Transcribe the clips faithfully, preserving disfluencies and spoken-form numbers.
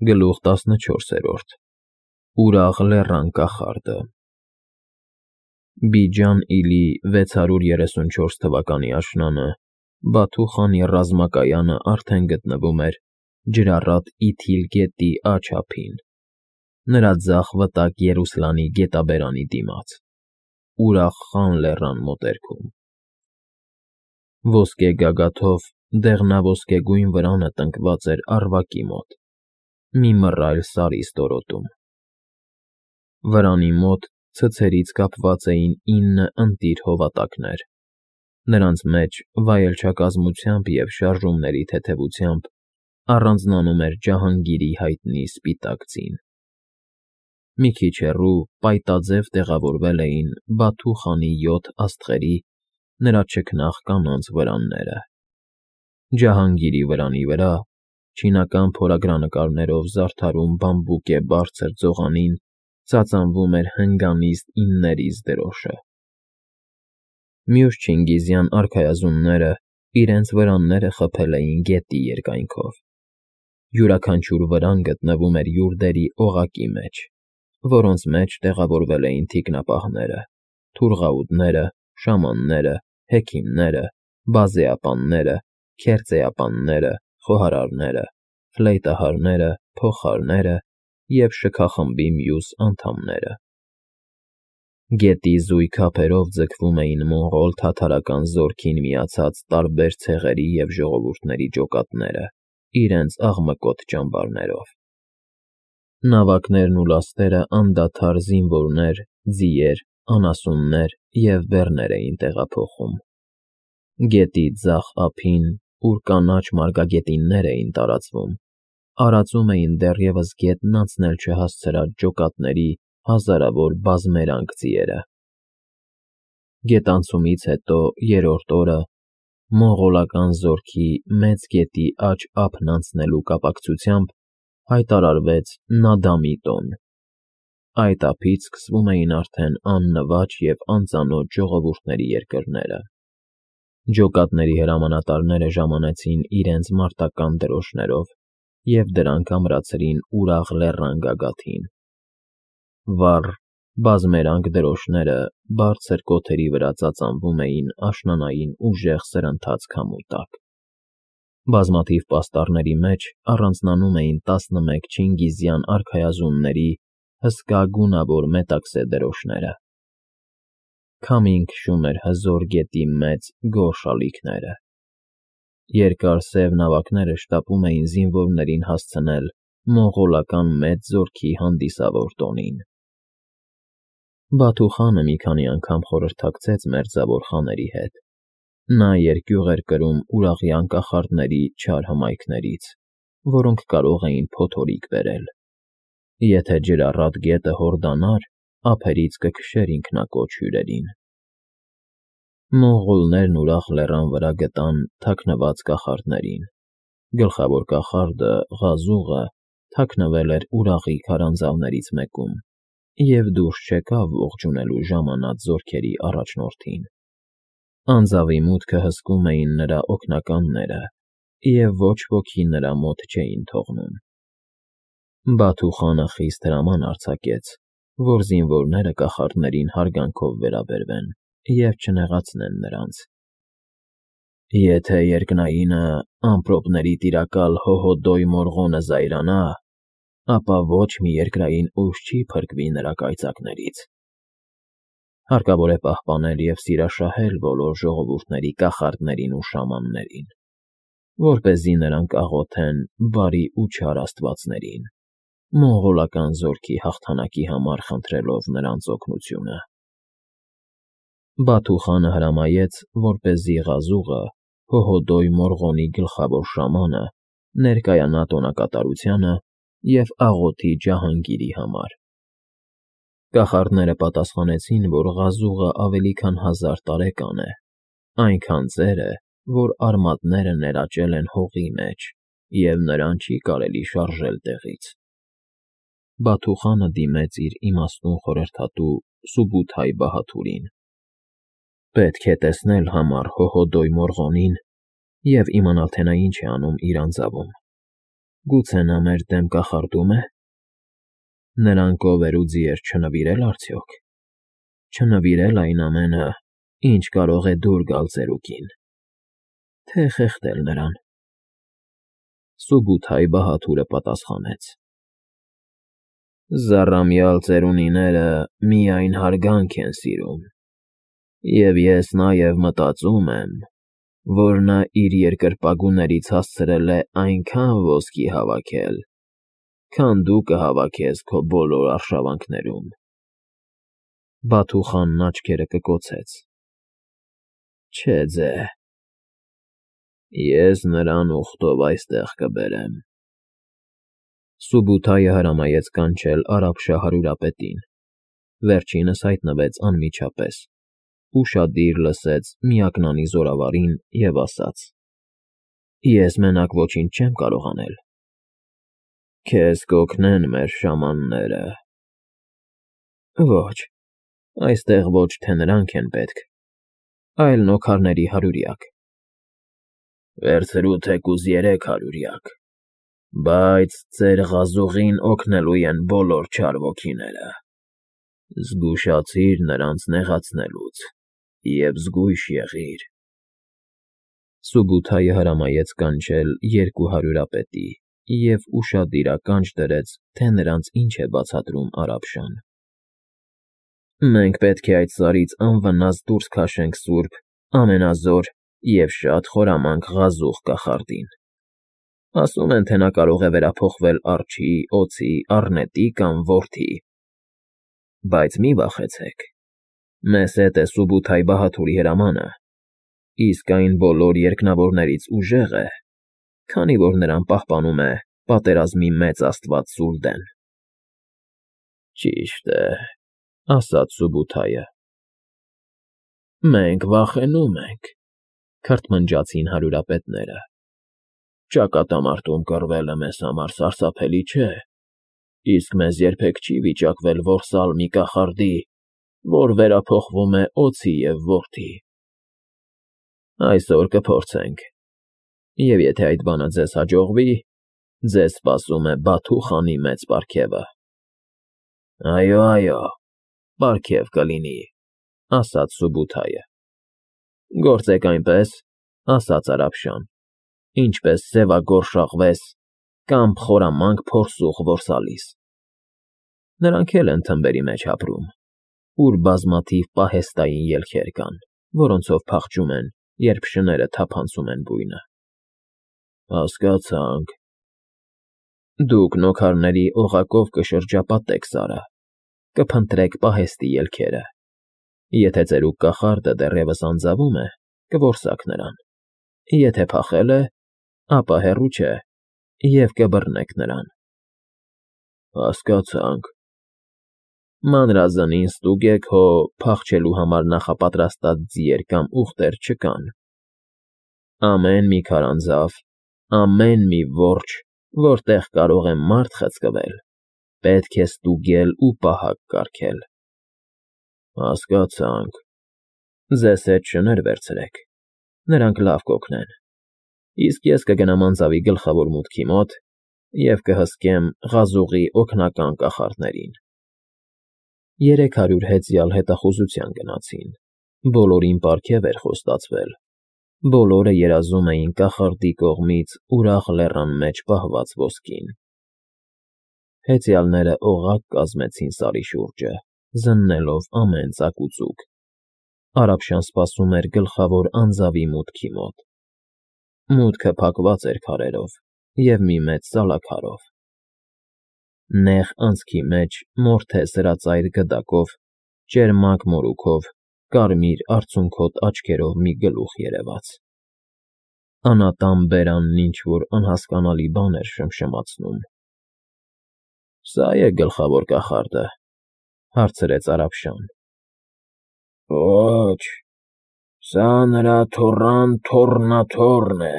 Գլուխ տասնչորսերորդ Ուրախ լեռան կախարդը Բիջան իլի վեցսարուն երեսունչորս թվականի աշնանը Բաթու խանի ռազմակայանը արդեն գտնվում էր ջրառատ Իթիլ գետի աջ ափին, նրա ձախ վտակ Երուսլանի գետաբերանի դիմաց, Ուրախ խան լեռան մոտերքում։ Ոսկե գագաթով դեղնաոսկեգույն վրանը տնկված էր առվակի մոտ, մի մռայլ սարի ստորոտում։ Վրանի մոտ ցցերից կապված էին ինը ընտիր հովատակներ, նրանց մեջ վայելչակազմությամբ և շարժումների թեթևությամբ առանձնանում էր Ջահանգիրի հայտնի սպիտակ ձին։ Մի քիչ հեռու պայտաձև տեղավորվել էին Բաթու խանի յոթ աստղերի, նրա չքնաղ կանանց վրանները։ Ջահանգիրի վրանի վրա, չինական փորագրանկարներով զարդարուն բամբուկե բարձր ծողանին ծածանվում էր հնգանիստ իններիս դրոշը։ Մյուս չինգիզյան արքայազունները իրենց վրանները խփել էին գետի երկայնքով։ Յուրաքանչյուր վրան գտնվում էր յուրդերի օղակի մեջ, որոնց մեջ տեղավորվել էին թիկնապահները, թուրղաուտները, շամանները, հեքիմները, բազեապանները, քերծեապանները, խոհարարները, ֆլեյտահարները, փողահարները և շքախմբի մյուս անդամները։ Գետի զույգ ափերով ձգվում էին մոնղոլ թաթարական զորքին միացած տարբեր ցեղերի և ժողովուրդների ջոկատները իրենց աղմկոտ ճամբարներով։ Նավակներն ու լաստերը անդադար զինվորներ, ձիեր, անասուններ և բեռներ էին տեղափոխում։ Գետի ձախ ափին, ուր կանաչ մարգագետիններ էին տարածվում, արածում էին դեռևս գետն անցնել չհասցրած ջոկատների հազարավոր բազմերանգ ձիերը։ Գետանցումից հետո երրորդ օրը, մոնղոլական զորքի Մեծ գետի աջ ափն անցնելու կապակցությամբ հայտարարվեց Նադամի տոն։ Այդ ափից սկսվում էին արդեն աննվաճ և անծանոթ ժողովուրդների երկրները։ Ջոկատների հրամանատարները ժամանեցին իրենց մարտական դրոշներով և դրանք ամրացրին Ուրախ լեռան գագաթին։ Վառ, բազմերանգ դրոշները բարձր կոթերի վրա ծածանվում էին աշնանային ուժեղ սրընթաց քամու տակ։ Բազմաթիվ պաստառների մեջ առանձնանում էին տասնմեկ չինգիզյան արքայազունների հսկա գունավոր մետաքսե դրոշները։ Քամին քշում էր հզոր գետի մեծ, գորշ ալիքները։ Երկար սև նավակները շտապում էին զինվորներին հասցնել մոնղոլական մեծ զորքի հանդիսավոր տոնին։ Բաթու խանը մի քանի անգամ խորհրդակցեց մերձավոր խաների հետ։ Նա երկյուղ էր կրում ուրախյան կախարդների չար հմայքներից, որոնք կարող էին փոթորիկ բերել։ Եթե ջրառատ գետը հորդանար, ափերից կքշեր ինքնակոչ հյուրերին։ Մոնղոլներն Ուրախ լեռան վրա գտան թաքնված կախարդներին։ Գլխավոր կախարդը՝ Ղազուղը, թաքնվել էր Ուրախի քարանձավներից մեկում և դուրս չեկավ ողջունելու ժամանած զորքերի առաջնորդին։ Անձավի մուտքը հսկում էին նրա օգնականները, և ոչ ոքի նրա մոտ չէին թողնում։ Բաթու խանը խիստ հրաման արձակեց, որ զինվորները կախարդներին հարգանքով վերաբերվեն և չնեղացնեն նրանց։ Եթե երկնայինը ամպրոպների տիրակալ Հոհոդոյ Մորղոնը զայրանա, ապա ոչ մի երկրային ուժ չի փրկվի նրա կայծակներից։ Հարկավոր է պահպանել և սիրաշահել բոլոր ժողովուրդների կախարդներին ու շամաններին, որպեսզի նրանք աղոթեն բարի ու չար աստվածներին, մոնղոլական զորքի հաղթանակի համար խնդրելով նրանց օգնությունը։ Բաթու խանը հրամայեց, որպեսզի Ղազուղը, Հոհոդոյ Մորղոնի գլխավոր շամանը, ներկայանա տոնակատարությանը և աղոթի Ջահանգիրի համար։ Կախարդները պատասխանեցին, որ Ղազուղը ավելի քան հազար տարեկան է, այնքան ծեր է, որ արմատները ներաճել են հողի մեջ, և նրան չի կարելի շարժել տեղից։ Բաթու խանը դիմեց իր իմաստուն խորհրդատու Սուբութայ բահադուրին։ Պետք է տեսնել համառ Հոհոդոյ Մորղոնին և իմանալ, թե նա ինչ է անում իր անձավում։ Գուցե նա մեր դեմ կախարդում է։ Նրան կովեր ու ձիեր չնվիրել արդյոք։ Չնվիրել այն ամենը, ինչ կարող է դուր գալ ծերուկին, թե խեղդել նրան։ Սուբութայ բահաթուրը պատասխանեց. Զառամյալ ծերունիները միայն հարգանք են սիրում, և ես նաև մտածում եմ, որ նա իր երկրպագուներից հասցրել է այնքան ոսկի հավաքել, քան դու կհավաքես քո բոլոր արշավանքներում։ Բաթուխանն աչքերը կկոցեց. Չէ ձե, ես նրան ուխտով այստեղ կբերեմ։ Սուբութայը հրամայեց կանչել արաբշա հարյուրապետին, վերջինս հայտնվեց անմիջապես, ուշադիր լսեց միակնանի զորավարին և ասաց. Ես մենակ ոչինչ չեմ կարող անել։ Քեզ կօգնեն մեր շամանները։ Ոչ, այստեղ ոչ թե նրանք են պետք, այլ նոքարների հարյուրյակ։ Վերցրու թեկուզ երեք հարյուրյակ, բայց ծեր ղազուղին օգնելու են բոլոր չար ոգիները։ Զգուշացիր նրանց նեղացնելուց և զգույշ եղիր։ Սուբութայը հրամայեց կանչել երկու հարյուրապետի և ուշադիր ականջ դրեց, թե նրանց ինչ է բացատրում արաբշան։ Մենք պետք է այդ սարից անվնաս դուրս քաշենք սուրբ, ամենազոր և շատ խորամանկ ղազուղ կախարդին։ Ասում են, թե նա կարող է վերափոխվել արջի, օձի, առնետի կամ որդի։ Բայց մի վախեցեք, մեզ հետ է Սուբութայ բահաթուրի հրամանը, իսկ այն բոլոր երկնավորներից ուժեղ է, քանի որ նրան պահպանում է պատերազմի մեծ աստված Սուլդեն։ Ճիշտ է, ասաց Սուբութայը։ Մենք վախենում ենք, քրթմնջացին հարյուրապետները։ Ճակատամարտում կռվելը մեզ համար սարսափելի չէ, իսկ մեզ երբեք չի վիճակվել որսալ մի կախարդի, որ վերափոխվում է օձի և որդի։ Այսօր կփորձենք, և եթե այդ բանը ձեզ հաջողվի, ձեզ սպասում է Բաթուխանի մեծ պարգևը։ Այո, այո, պարգև կլինի, ասաց Սուբութայը։ Գործեք այնպես, ասաց արաբշան, ինչպես սևագորշ կամ խորամանկ փորսուղ որսալիս։ Նրանք էլ են թմբերի մեջ ապրում, ուր բազմաթիվ պահեստային ելքեր կան, որոնցով փախչում են, երբ շները թափանցում են բույնը։ Հասկացանք։ Դուք նոքարների օղակով կշրջապատեք սարը, կփնտրեք պահեստի ելքերը։ Եթե ծերուկ կախարդը դեռևս անձավում է, կորսաք նրան, եթե փախել է, ապա հեռու չէ, և կբռնեք նրան։ Հասկացանք։ Մանրազնին ստուգեք, հո փախչելու համար նախապատրաստած ձիեր կամ ուղտեր չկան։ Ամեն մի քարանձավ, ամեն մի որջը, որտեղ կարող է մարդ խցկվել, պետք է ստուգել ու պահակ կարգել։ Հասկացանք։ Ձեզ հետ շներ վերցրեք, նրանք լավ կօգնեն, իսկ ես կգնամ անձավի գլխավոր մուտքի մոտ և կհսկեմ ղազուղի օգնական կախարդներին։ Երեք հարյուր հեծյալ հետախուզության գնացին, բոլորին պարգև էր խոստացվել, բոլորը երազում էին կախարդի կողմից ուրախ լեռան մեջ պահված ոսկին։ Հեծյալները օղակ կազմեցին սարի շուրջը, զննելով ամեն ծակ ու ծուգ։ Արաբշան սպասում էր գլխավոր անձավի մուտքի մոտ։ Մուտքը փակված էր քարերով և մի մեծ սալաքարով։ Նեղ անցքի մեջ մորթե սրածայր գդակով, ճերմակ մորուքով, կարմիր արցունքոտ աչքերով մի գլուխ երևաց։ Անատան բերանն ինչ֊որ անհասկանալի բան էր շմշմացնում։ Սա՞ է գլխավոր կախարդը, հարցրեց արաբշան։ Ոչ, սա նրա թոռան թոռնաթոռն է,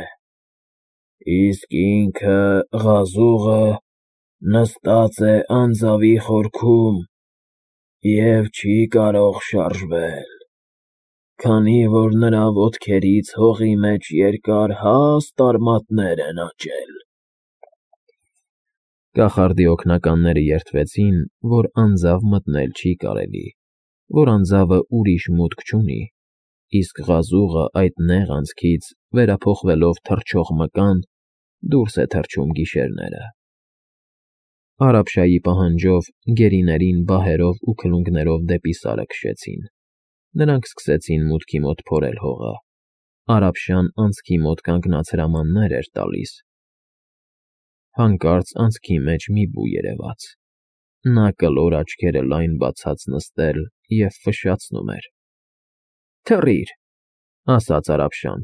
իսկ ինքը, ղազուղը, նստած է անձավի խորքում և չի կարող շարժվել, քանի որ նրա ոտքերից հողի մեջ երկար հաստ արմատներ են աճել։ Կախարդի օգնականները երդվեցին, որ անձավ մտնել չի կարելի, որ անձավը ուրիշ մուտք չունի, իսկ ղազուղը այդ նեղ անցքից, վերափոխվելով թռչող մկան, դուրս է թռչում գիշերները։ Արաբշայի պահանջով գերիներին բահերով ու քլունգներով դեպի Սարը քշեցին։ Նրանք սկսեցին մուտքի մոտ փորել հողը։ Արաբշան անցքի մոտ կանգնած հրամաններ էր տալիս։ Հանկարծ անցքի մեջ մի բու երևաց։ Նա կլոր աչքերը լայն բացած նստել և ֆշշացնում էր։ «Թռիր», ասաց Արաբշան,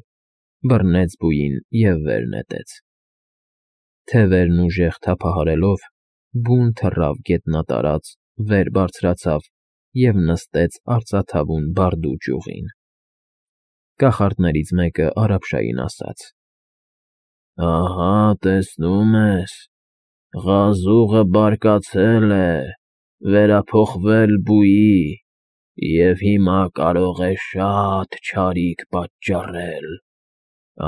բռնեց բույին և վեր նետեց։ Թևերն ուժեղ թափահարելով, բուն թռավ գետնատարած, վեր բարձրացավ և նստեց արծաթավուն բարդու ճյուղին։ Կախարդներից մեկը Արաբշային ասաց. «Ահա, տեսնում ես, ղազուղը բարկացել է, վերափոխվել բուի և հիմա կարող է շատ չարիք պատճառել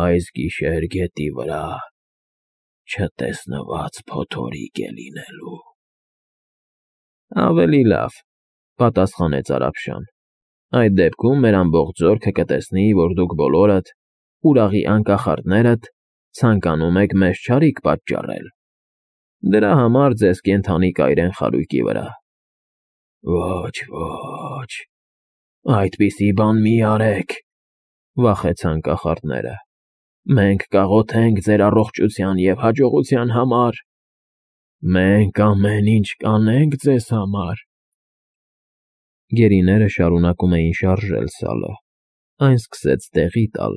այս գիշեր գետի վրա չտեսնված փոթորիկ է լինելու»։ «Ավելի լավ,֊ պատասխանեց Արաբշան,֊ այդ դեպքում մեր ամբողջ զորքը կտեսնի, որ դուք բոլորդ,ուրաղի անկախարդներդ, ցանկանում եք մեզ չարիք պատճառել։ Դրա համար ձեզ կենդանի կայրեն խարույկի վրա»։ «Ոչ, ոչ, այդպիսի բան մի արեք,֊ վախեցան կախարդները։ Մենք կաղոթենք ձեր առողջության և հաջողության համար։ Մենք ամեն ինչ կանենք ձեզ համար»։ Գերիները շարունակում էին շարժել Սալը։ Այն սկսեց տեղի տալ,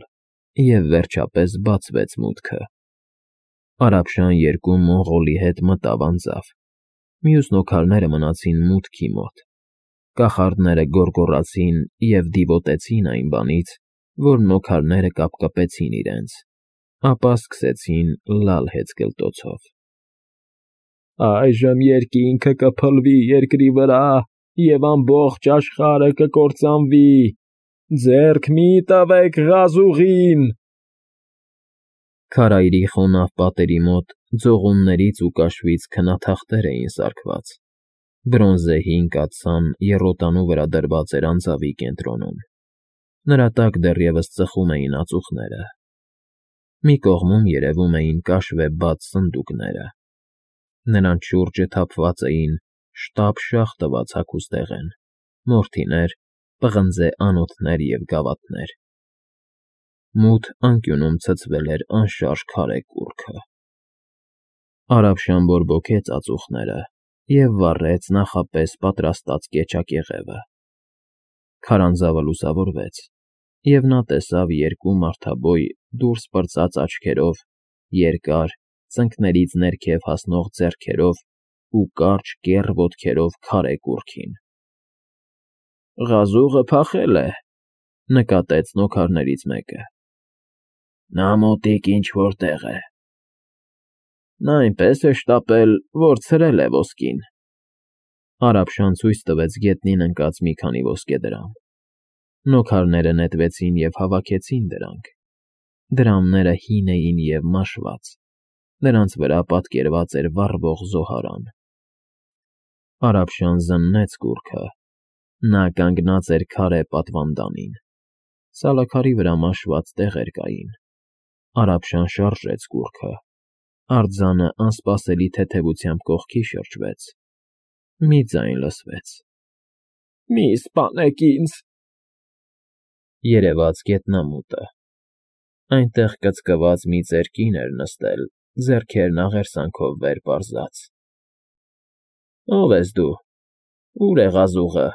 և վերջապես բացվեց մուտքը։ Արաբշան երկու մոնղոլի հետ մտավ անձավ։ Մյուս նոքարները մնացին մուտքի մոտ։ Կախարդները գոռգոռացին և դիվոտեցին այն բանից, որ նոքարները կապկպեցին իրենց, ապա սկսեցին լալ հեծկլտոցով. «Այժմ երկինքը կփլվի երկրի վրա, և ամբողջ աշխարհը կկործանվի։ Ձեռք մի՛ տվեք ղազուղին»։ Քարայրի խոնավ պատերի մոտ ձողուններից ու կաշվից քնաթղթեր էին սարքված։ Բրոնզե հին կաթսան եռոտանու վրա դրված էր անձավի կենտրոնում։ Նրա տակ դեռևս ծխում էին ածուխները։ Մի կողմում երևում էին կաշվե բաց սնդուկները։ Նրանց շուրջը թափված էին շտապ֊շախ տված հագուստեղեն, մորթիներ, պղնձե անոթներ և գավաթներ։ Մութ անկյունում ցցվել էր անշարժ քարե կուռքը։ Արաբշան բորբոքեց ածուխները և վառեց նախապես պատրաստած կեչակեղևը։ Քարանձավը լուսավորվեց, և նա տեսավ երկու մարդաբոյ դուրս պրծած աչքերով, երկար, ծնկներից ներքև հասնող ձեռքերով ու կարճ կեռ ոտքերով քարե կուռքին։ «Ղազուղը փախել է,֊ նկատեց նոքարներից մեկը։ Նա մոտիկ ինչ֊որ տեղ է։ Նա այնպես է շտապել, որ ցրել է ոսկին»։ Արաբշան ցույց տվեց գետնին ընկած մի քանի ոսկեդրամ։ Նոքարները նետվեցին և հավաքեցին դրանք։ Դրամները հին էին և մաշված։ Նրանց վրա պատկերված էր վառվող զոհարան։ Արաբշան զննեց կուռքը։ Նա կանգնած էր քարե պատվանդանին։ Սալաքարի վրա մաշված տեղեր կային։ Արաբշան շարժեց կուռքը։ Արձանը անսպասելի թեթևությամբ կողքի շրջվեց։ Մի ձայն լսվեց. «Մի՛ սպանեք ինձ»։ Երևաց գետնամուտը։ Այնտեղ կծկված մի ծեր կին էր նստել, ձեռքերն աղերսանքով վեր պարզած։ «Ո՞վ ես դու, ո՞ւր է ղազուղը»։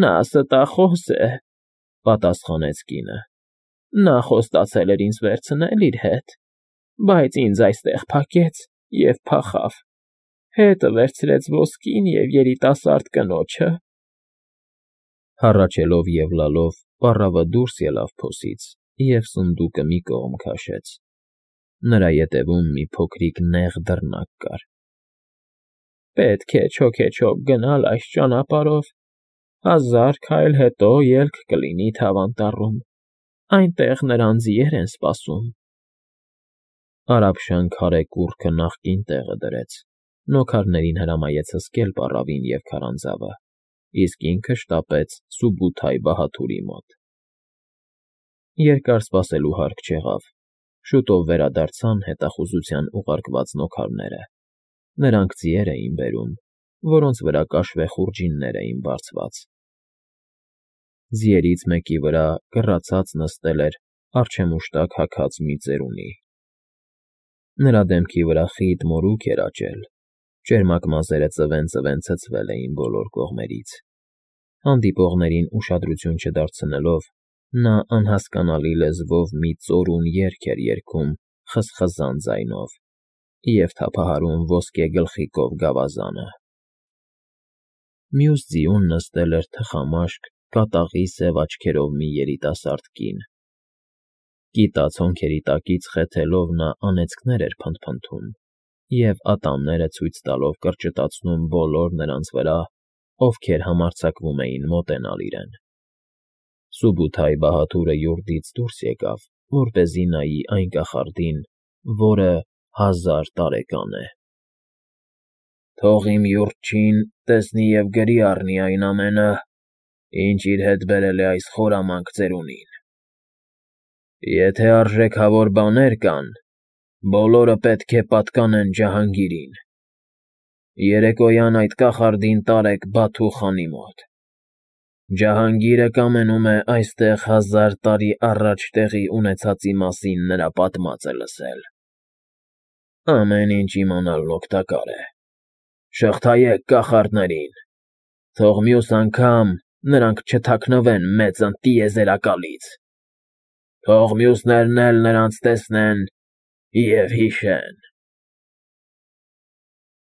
«Նա ստախոս է,֊ պատասխանեց կինը։ Նա խոստացել էր ինձ վերցնել իր հետ, բայց ինձ այստեղ փակեց և փախավ։ Հետը վերցրեց ոսկին և երիտասարդ կնոջը»։ Հառաչելով և լալով պառավը դուրս ելավ փոսից և սնդուկը մի կողմ քաշեց։ Նրա ետևում մի փոքրիկ նեղ դռնակ կար։ «Պետք է չոքեչոք գնալ այս ճանապարհով։ Հազար քայլ հետո ելք կլինի Թավ Անտառում, այնտեղ նրան ձիեր են սպասում»։ Արաբշան քարե կուռքը նախկին տեղը դրեց, նոքարներին հրամայեց հսկել պառավին և քարանձավը, իսկ ինքը շտապեց Սուբութայ Բահաթուրի մոտ։ Երկար սպասելու հարկ չեղավ, շուտով վերադարձան հետախուզության ուղարկած նոքարները. նրանք ձիեր էին բերում, որոնց վրա կաշվե խուրջիններ էին բարձված։ Ձիերից մեկի վրա կռացած նստել էր արջեմուշտակ հագած մի ծերունի։ Նրա դեմքի վրա խիտ մորուք էր աճել, ճերմակ մազերը ծվեն֊ծվեն ցցվել էին բոլոր կողմերից։ Հանդիպողներին ուշադրություն չդարձնելով, նա անհասկանալի լեզվով մի ծորուն երգ էր երգում խզխզան ձայնով և թափահարում ոսկե գլխիկով գավազանը։ Մյուս ձիուն նստել էր թխամաշկ, կատաղի սև աչքերով մի երիտասարդ կին։ Կիտած հոնքերի տակից խեթելով նա անեծքներ էր փնթփնթում և ատամները ցույց տալով կրճտացնում բոլոր նրանց վրա, ովքեր համարձակվում էին մոտենալ իրեն։ Սուբութայ Բահաթուրը յուրտից դուրս եկավ, որպեսզի նայի այն կախարդին, որը հազար տարեկան է։ ֊ Թող իմ յուրչին տեսնի և գրի առնի այն ամենը, ինչ իր հետ բերել է այս խորամանկ ծերունին։ Եթե արժեքավոր բաներ կան, բոլորը պետք է պատկանեն Ջահանգիրին։ Երեկոյան այդ կախարդին տարեք Բաթու խանի մոտ։ Ջահանգիրը կամենում է այստեղ հազար տարի առաջ տեղի ունեցածի մասին նրա պատմածը լսել։ Ամեն ինչ իմանալն օգտակար է։ Շղթայեք կախարդներին, թող մյուս անգամ նրանք չթաքնվեն մեծ ընտիեզերակալից։ Թող մյուսներն էլ նրանց տեսնեն և հիշեն։